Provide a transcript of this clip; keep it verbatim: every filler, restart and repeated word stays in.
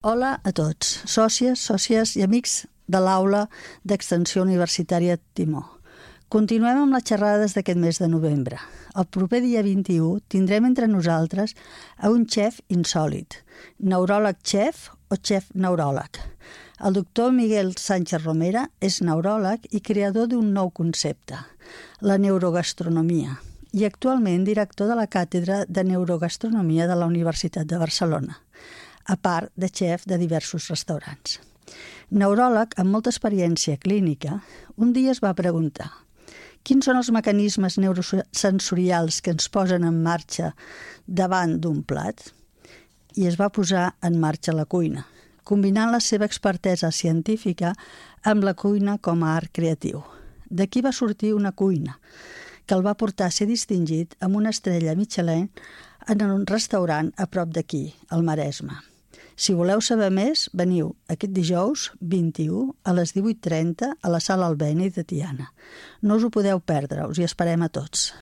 Hola a tots, sòcies, sòcies i amics de l'aula d'Extensió Universitària Timó. Continuem amb les xerrades d'aquest mes de novembre. El proper dia vint-i-u tindrem entre nosaltres a un xef insòlit, neuròleg xef o xef neuròleg. El doctor Miguel Sánchez Romera és neuròleg i creador d'un nou concepte, la neurogastronomia, i actualment director de la càtedra de neurogastronomia de la Universitat de Barcelona, a part de xef de diversos restaurants. Neuròleg amb molta experiència clínica, un dia es va preguntar quins són els mecanismes neurosensorials que ens posen en marxa davant d'un plat? I es va posar en marxa la cuina, combinant la seva expertesa científica amb la cuina com a art creatiu. D'aquí va sortir una cuina, que el va portar a ser distingit amb una estrella Michelin en un restaurant a prop d'aquí, al Maresme. Si voleu saber més, veniu aquest dijous vint-i-u a les divuit trenta a la Sala Albéniz de Tiana. No us ho podeu perdre, us hi esperem a tots.